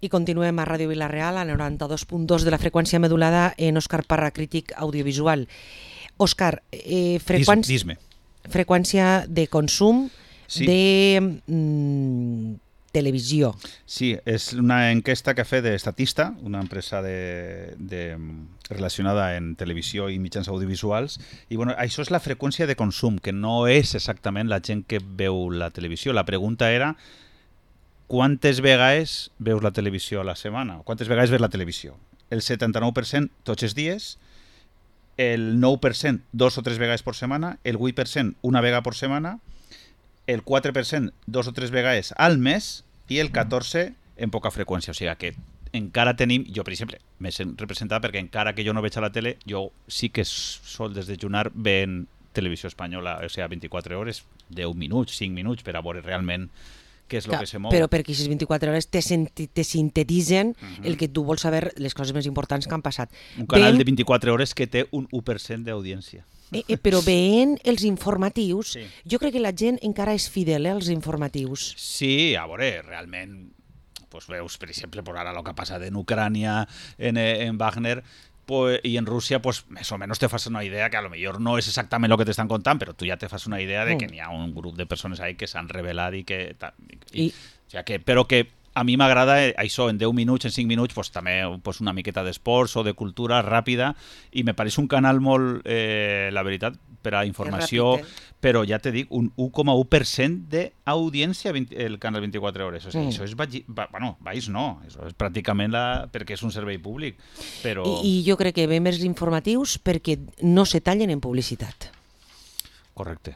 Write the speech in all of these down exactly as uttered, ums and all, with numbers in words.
I continuem a Ràdio Vila-real, a noranta-dos punt dos de la freqüència modulada en Òscar Parra, crític audiovisual. Òscar, eh, freqüència, Dis, dis-me. freqüència de consum Sí. de mm, televisió. Sí, és una enquesta que ha fet d'Estatista, una empresa de, de, relacionada en televisió i mitjans audiovisuals, i bueno, això és la freqüència de consum, que no és exactament la gent que veu la televisió. La pregunta era quantes vegades veus la televisió a la setmana? Quantes vegades veus la televisió? El setanta-nou per cent tots els dies, el nou per cent dos o tres vegades per setmana, el vuit per cent una vegada per setmana, el quatre per cent dos o tres vegades al mes i el catorze per cent en poca freqüència. O sigui que encara tenim, jo per exemple, m'he representat perquè encara que jo no veig a la tele, jo sí que sol desdejunar veient televisió espanyola, o sigui, vint-i-quatre hores, deu minuts, cinc minuts, per a veure realment què és el que se mou. Però perquè aquestes vint-i-quatre hores te, te sintetitzen uh-huh. el que tu vols saber, les coses més importants que han passat. Un canal ben... de vint-i-quatre hores que té un u per cent d'audiència. Eh, eh, però veient els informatius, Sí. jo crec que la gent encara és fidel eh, als informatius. Sí, a veure, realment, pues veus, per exemple, por ara el que ha passat en Ucrània, en, en Wagner, pues, i en Rússia, pues, més o menys te fas una idea que a lo millor no és exactament el que t'estan contant, però tu ja te fas una idea de que n'hi ha un grup de persones ahí que s'han revelat i que... I, I... O sigui que, però que a mi m'agrada això, en deu minuts, en cinc minuts, pues, també pues, una miqueta d'esports o de cultura ràpida, i me pareix un canal molt, eh, la veritat, per a informació, ràpid, eh? però ja te dic, un u coma u per cent d'audiència el canal vint-i-quatre hores. O sigui, mm. això és baix, bueno, baix no, això és pràcticament la, perquè és un servei públic. Però... I, I jo crec que ve més informatius perquè no se tallen en publicitat. Correcte.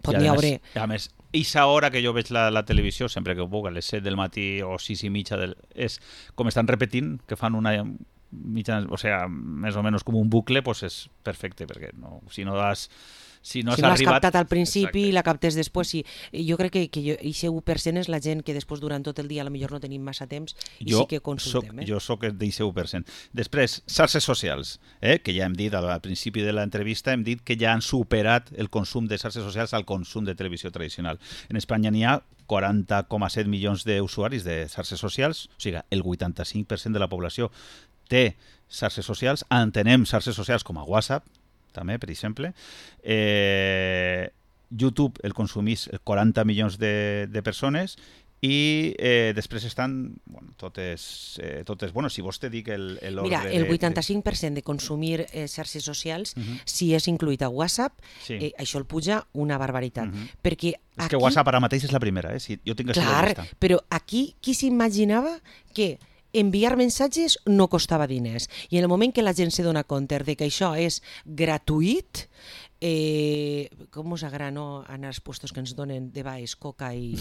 Pot n'hi hauré. A més, aquesta hora que jo veig la, la televisió, sempre que ho puc, a les set del matí o sis i mitja, del, és com estan repetint, que fan una mitja, o sea, més o menys com un bucle, pues és perfecte, perquè no, si no has... Si no has, si no has arribat... captat al principi Exacte. i la captes després, sí. Jo crec que, que aquest u per cent és la gent que després durant tot el dia potser no tenim massa temps i jo sí que consultem. Soc, eh? Jo soc d'aquest u per cent. Després, xarxes socials, eh? que ja hem dit al principi de l'entrevista, hem dit que ja han superat el consum de xarxes socials al consum de televisió tradicional. En Espanya n'hi ha quaranta coma set milions d'usuaris de xarxes socials, o sigui, el vuitanta-cinc per cent de la població té xarxes socials, entenem xarxes socials com a WhatsApp, també, per exemple. Eh, YouTube el consumís quaranta milions de, de persones i eh, després estan bueno, totes, eh, totes... Bueno, si vols te dic el, el Mira, ordre el de... vuitanta-cinc per cent de consumir eh, xarxes socials, Uh-huh. si és incluït a WhatsApp, Sí. eh, això el puja una barbaritat. Uh-huh. Perquè És aquí... que WhatsApp ara mateix és la primera, eh? Si, jo tinc això Clar, de llista. però aquí qui s'imaginava que enviar missatges no costava diners. I en el moment que la gent se dona compte de que això és gratuït, eh, com us agrada no, anar als puestos que ens donen de baix coca i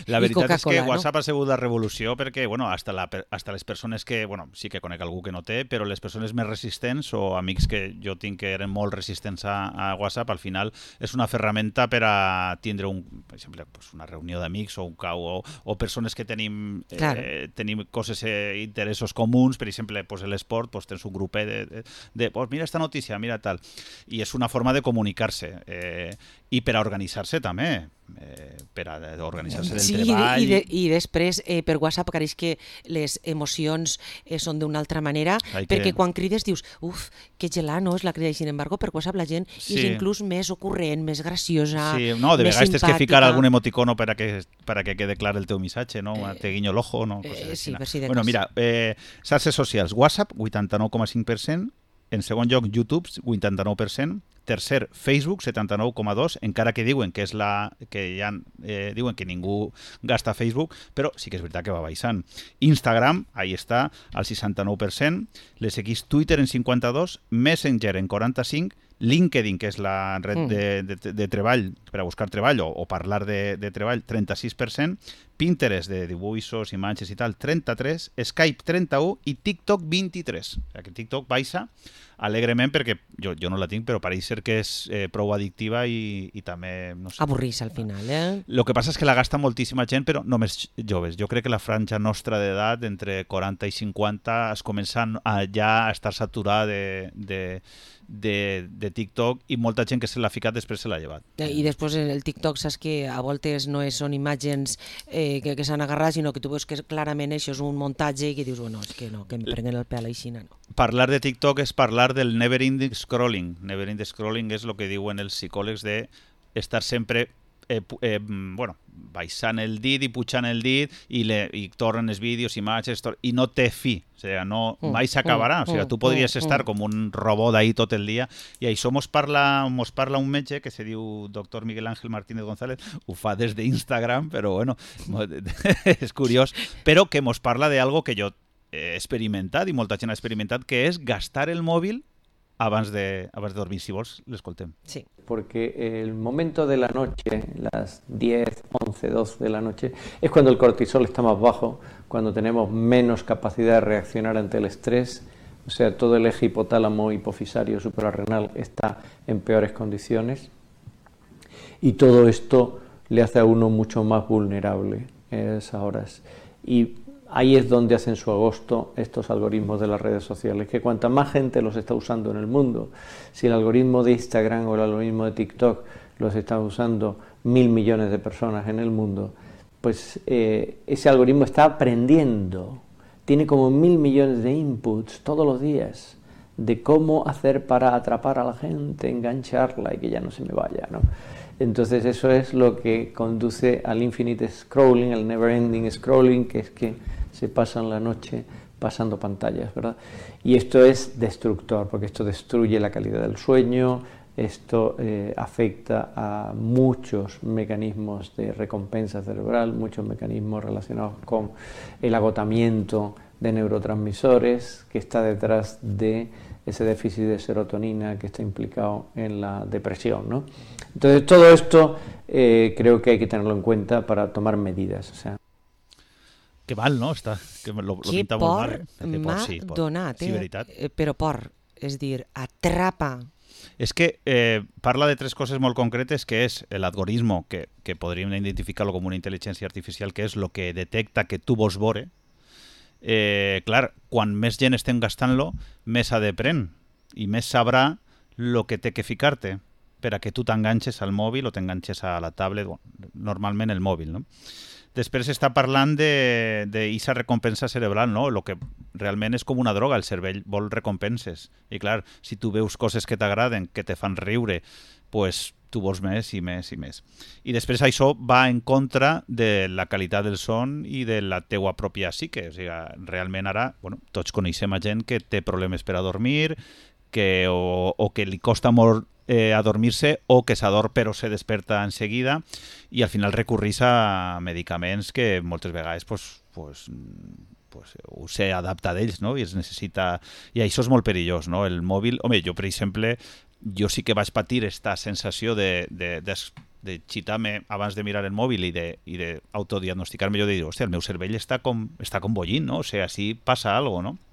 La i veritat és que Coca-Cola, no? WhatsApp ha sigut la revolució perquè, bueno, hasta, la, hasta les persones que, bueno, sí que conec algú que no té, però les persones més resistents o amics que jo tinc que eren molt resistents a, a WhatsApp, al final és una ferramenta per a tindre un, per exemple, pues una reunió d'amics o un cau o, o persones que tenim, eh, tenim coses, eh, interessos comuns, per exemple, pues l'esport, pues tens un grupet de, de, de pues mira esta notícia, mira tal, i és una forma de comunicar-se eh, i per a organitzar-se també, eh, per a organitzar-se del sí, treball. I, de, i després eh, per WhatsApp pareix que les emocions eh, són d'una altra manera, Ai, perquè que... quan crides dius, uf, que gelar, no? És la crida, i sin embargo per WhatsApp la gent Sí. és inclús més ocurrent, més graciosa, Sí, no, de més vegades tens que simpàtica. ficar algun emoticono per a que, per a que quede clar el teu missatge, no? Eh, te guinyo l'ojo, no? Eh, sí, per si de bueno, cas. mira, eh, xarxes socials, WhatsApp, vuitanta-nou coma cinc per cent, en segon lloc, YouTube, vuitanta-nou per cent, tercer, Facebook, setanta-nou coma dos, encara que diuen que és la que ja eh, diuen que ningú gasta Facebook, però sí que és veritat que va baixant. Instagram, ahí està, al seixanta-nou per cent, le seguís Twitter en cinquanta-dos, Messenger en quaranta-cinc, LinkedIn, que és la red de, de, de treball, per a buscar treball o, o parlar de, de treball, trenta-sis per cent, Pinterest, de dibuixos, imatges i tal, trenta-tres, Skype, trenta-u i TikTok, vint-i-tres. O sigui que TikTok baixa alegrement perquè jo, jo no la tinc, però pareix ser que és eh, prou addictiva i, i també, no sé... Avorrís al final, eh? El que passa és que la gasta moltíssima gent, però només joves. Jo crec que la franja nostra d'edat, entre quaranta i cinquanta, es comença a ja a estar saturada de, de, de, de TikTok i molta gent que se l'ha ficat després se l'ha llevat. I després el TikTok saps que a voltes no és, són imatges eh, que, que s'han agarrat, sinó que tu veus que clarament això és un muntatge i que dius, bueno, és que no, que em prenguen el pèl així, no. Parlar de TikTok és parlar del never-ending scrolling. Never-ending scrolling és el que diuen els psicòlegs de estar sempre eh, eh, bueno, baixant el dit i pujant el dit i, le, i tornen els vídeos, imatges, tor i no té fi, o sigui, no, mai s'acabarà, o sigui, tu podries estar com un robot ahí tot el dia i això mos parla, mos parla un metge que se diu doctor Miguel Ángel Martínez González, ho fa des d'Instagram, però bueno, és curiós, però que mos parla d'algo que jo he experimentat i molta gent ha experimentat, que és gastar el mòbil abans de, abans de dormir. Si vols, l'escoltem. Sí. Porque el momento de la noche, las diez, once, doce de la noche, es cuando el cortisol está más bajo, cuando tenemos menos capacidad de reaccionar ante el estrés, o sea, todo el eje hipotálamo, hipofisario, suprarrenal está en peores condiciones y todo esto le hace a uno mucho más vulnerable en esas horas. Y ahí es donde hacen su agosto estos algoritmos de las redes sociales, que cuanta más gente los está usando en el mundo, si el algoritmo de Instagram o el algoritmo de TikTok los están usando mil millones de personas en el mundo, pues eh, ese algoritmo está aprendiendo, tiene como mil millones de inputs todos los días de cómo hacer para atrapar a la gente, engancharla y que ya no se me vaya, ¿no? Entonces eso es lo que conduce al infinite scrolling, al never ending scrolling, que es que se pasan la noche pasando pantallas, ¿verdad? Y esto es destructor, porque esto destruye la calidad del sueño, esto eh, afecta a muchos mecanismos de recompensa cerebral, muchos mecanismos relacionados con el agotamiento de neurotransmisores que está detrás de ese déficit de serotonina que está implicado en la depresión, ¿no? Entonces todo esto eh, creo que hay que tenerlo en cuenta para tomar medidas, o sea. Que mal, no? Està, que lo, lo que pinta por molt mal, eh? m'ha sí, donat, sí, eh? veritat. Però por, és dir, atrapa. És que eh, parla de tres coses molt concretes, que és l'algoritmo, que, que podríem identificar-lo com una intel·ligència artificial, que és el que detecta que tu vols veure. Eh, clar, quan més gent estem gastant-lo, més s'aprèn i més sabrà el que té que ficar-te per a que tu t'enganxes al mòbil o t'enganxes a la tablet, bueno, normalment el mòbil, no? Després està parlant d'aquesta recompensa cerebral, no? El que realment és com una droga, el cervell vol recompenses. I clar, si tu veus coses que t'agraden, que te fan riure, pues tu vols més i més i més. I després això va en contra de la qualitat del son i de la teua pròpia psique. O sigui, realment ara, bueno, tots coneixem a gent que té problemes per a dormir, que, o, o que li costa molt eh, adormir-se o que s'adorm però se desperta en seguida i al final recurrís a medicaments que moltes vegades pues, pues, pues, ho se adapta d'ells, no? I es necessita... I això és molt perillós, no? El mòbil... Home, jo, per exemple, jo sí que vaig patir esta sensació de, de, de, de xitar-me abans de mirar el mòbil i d'autodiagnosticar-me, jo de dir, hòstia, el meu cervell està com, està com bollint, no? O sigui, així passa alguna cosa, no?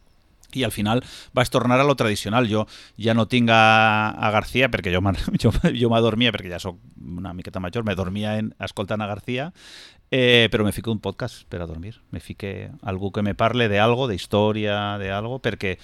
I al final vaig tornar a lo tradicional. Jo ja no tinc a, a García, perquè jo, jo, jo m'adormia, perquè ja soc una miqueta major, me dormia en, escoltant a García, eh, però me fico un podcast per a dormir. Me fique algú que me parle d'algo, d'història, d'algo, perquè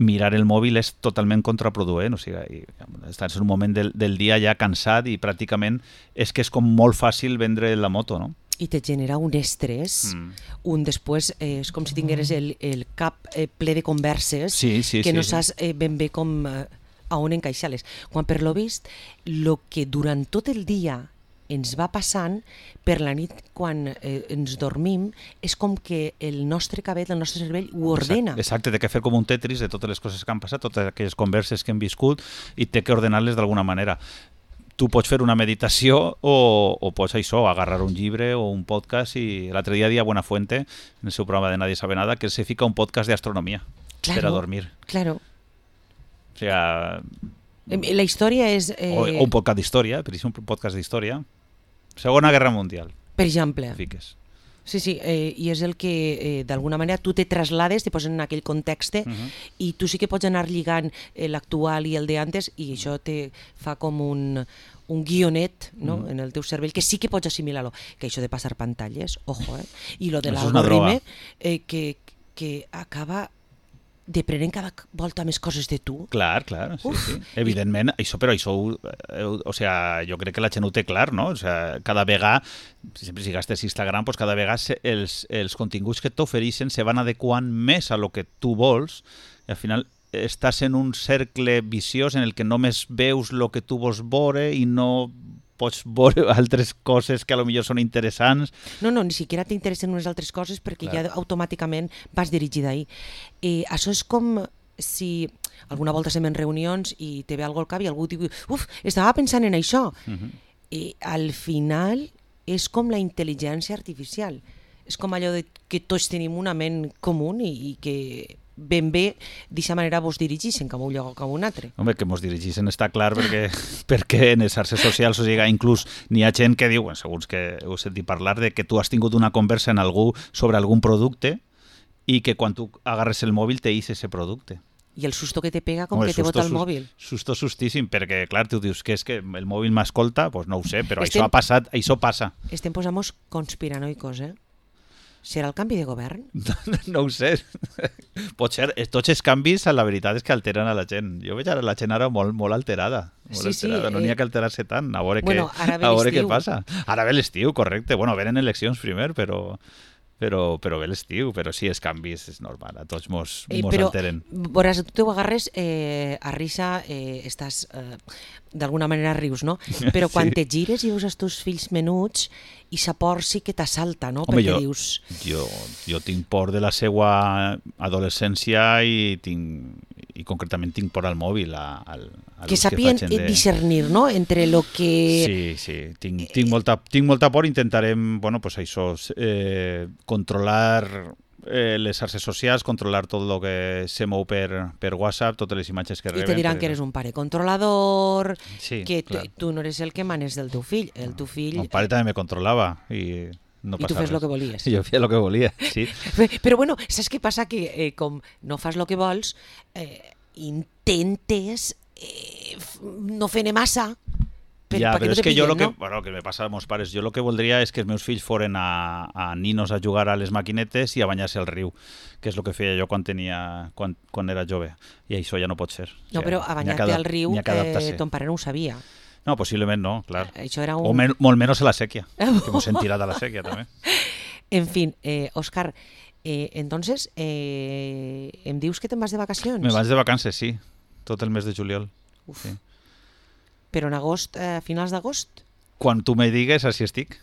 mirar el mòbil és totalment contraproduent. O sigui, estàs en un moment del, del dia ja cansat i pràcticament és que és com molt fàcil vendre la moto, no? I te genera un estrès, mm. un després eh, és com si tingueres el, el cap eh, ple de converses sí, sí, que sí, no sí. saps eh, ben bé com eh, a on encaixar-les. Quan per lo vist, el que durant tot el dia ens va passant, per la nit quan eh, ens dormim, és com que el nostre cabell, el nostre cervell ho ordena. Exacte, exacte, té que fer com un tetris de totes les coses que han passat, totes aquelles converses que hem viscut i té que ordenar-les d'alguna manera. Tu pots fer una meditació o, o pots això, agarrar un llibre o un podcast i l'altre dia dia Buenafuente, en el seu programa de Nadie sabe nada, que se fica un podcast de astronomía claro, per a dormir. Claro. O sea... La història és... Eh... O, o un podcast d'història, per exemple, un podcast d'història. Segona Guerra Mundial. Per exemple. Fiques. Sí, sí, eh, i és el que eh, d'alguna manera tu te traslades, te poses en aquell context uh -huh. i tu sí que pots anar lligant eh, l'actual i el d'antes i això te fa com un, un guionet, no? Mm. en el teu cervell, que sí que pots assimilar-lo. Que això de passar pantalles, ojo, eh? I lo de l'algoritme, eh, que, que acaba deprenent cada volta més coses de tu. Clar, clar, sí, sí. Evidentment, això, però això, eh, o sea, jo crec que la gent ho té clar, no? O sea, cada vegada, sempre si gastes Instagram, pues cada vegada els, els continguts que t'ofereixen se van adequant més a lo que tu vols i al final estàs en un cercle viciós en el que només veus el que tu vols veure i no pots veure altres coses que a lo millor són interessants. No, no, ni siquiera t'interessen unes altres coses perquè clar. Ja automàticament vas dirigir d'ahir. Eh, això és com si alguna volta estem en reunions i te ve algú al cap i algú diu uf, estava pensant en això. Uh-huh. I al final és com la intel·ligència artificial. És com allò de que tots tenim una ment comú i, i que ben bé d'aquesta manera vos dirigixen cap a un lloc o cap a un altre. Home, que mos dirigixen està clar perquè, perquè en les xarxes socials, o sigui, inclús n'hi ha gent que diu, bueno, segons que heu sentit parlar, de que tu has tingut una conversa en algú sobre algun producte i que quan tu agarres el mòbil te ix ese producte. I el susto que te pega com Home, que te bota el mòbil. Susto sustíssim, perquè clar, tu dius que és que el mòbil m'escolta, doncs no ho sé, però estem, això ha passat, això passa. Estem posant-nos conspiranoicos, eh? Serà el canvi de govern? No, no ho sé. Pot ser. Tots els canvis, la veritat és que alteren a la gent. Jo veig ara la gent ara molt, molt alterada. Molt sí, alterada. Sí, no n'hi ha que alterar-se tant. A veure, bueno, què, a veure què passa. Ara ve l'estiu, correcte. Bueno, venen eleccions primer, però... Però, però bé l'estiu, però sí, els canvis és normal, a tots mos, eh, mos però, alteren. Però tu t'ho agarres eh, a risa, eh, estàs, eh, d'alguna manera rius, no? Però quan sí. te gires i veus els teus fills menuts, i sa por sí que t'assalta, no? Home, perquè jo, dius... Jo, jo tinc por de la seva adolescència i, tinc, i concretament tinc por al mòbil. A, a, a que sàpien que de... discernir, no?, entre lo que... Sí, sí, tinc, tinc, molta, tinc molta por, intentarem, bueno, pues això, eh, controlar eh, les xarxes socials, controlar tot el que se mou per, per WhatsApp, totes les imatges que reben. I te diran perquè... que eres un pare controlador, sí, que clar. tu no eres el que manes del teu fill, el teu fill... Mon pare també me controlava i... No I tu fes el que volies. Jo feia el que volia, sí. Però bueno, saps què passa? Que eh, com no fas el que vols, eh, intentes eh, no fer-ne massa per, ja, però no és que pillen, jo el que, no? bueno, que me passa als meus pares, jo el que voldria és que els meus fills foren a, a ninos a jugar a les maquinetes i a banyar-se al riu, que és el que feia jo quan tenia quan, quan era jove, i això ja no pot ser. No, o sigui, però a banyar-te al riu eh, ton pare no ho sabia. No, possiblement no, clar. Això era un... O men molt menys a la sèquia, que m'ho sentirà de la sèquia també. En fin, eh, Òscar, eh, entonces, eh, em dius que te'n vas de vacacions? Me vaig de vacances, sí, tot el mes de juliol. Uf. Sí. Però en agost, eh, finals d'agost? Quan tu me digues, així estic.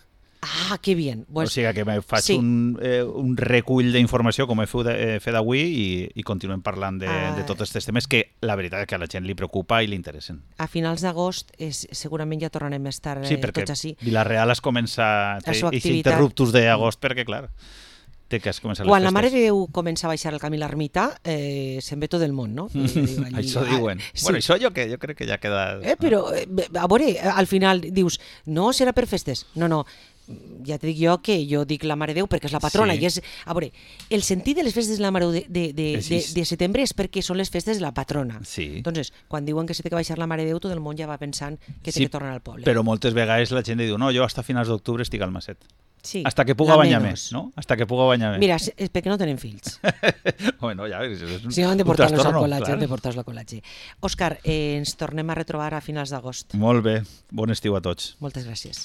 Ah, que bien. Pues, o sigui que me faig sí. un, eh, un recull d'informació com he fet avui i, i continuem parlant de, ah. de tots aquests temes que la veritat és que a la gent li preocupa i li interessen. A finals d'agost segurament ja tornarem a estar eh, sí, tots així. Sí, Vila-real es comença a interruptus d'agost perquè, clar, té que es començar les Quan festes. la Mare de Déu comença a baixar el camí a l'ermita, eh, se'n ve tot el món, no? Allí, això diuen. Ah, sí. Bueno, això jo, que, jo crec que ja queda... Eh, però, eh, a veure, al final dius, no serà per festes. No, no, ja te dic jo que jo dic la Mare de Déu perquè és la patrona. Sí. I és, a veure, el sentit de les festes de la Mare de, de, de, de, de setembre és perquè són les festes de la patrona. Sí. Entonces, quan diuen que se té que baixar la Mare de Déu, tot el món ja va pensant que té sí, que tornar al poble. Però moltes vegades la gent diu, no, jo hasta finals d'octubre estic al Maset. Sí, hasta que puga banyar més, no? Hasta que puga banyar més. Mira, és perquè no tenen fills. Bueno, ja, és un, sí, han de portar-los al col·legi, clar. han de portar-los al col·legi. Òscar, eh, ens tornem a retrobar a finals d'agost. Molt bé, bon estiu a tots. Moltes gràcies.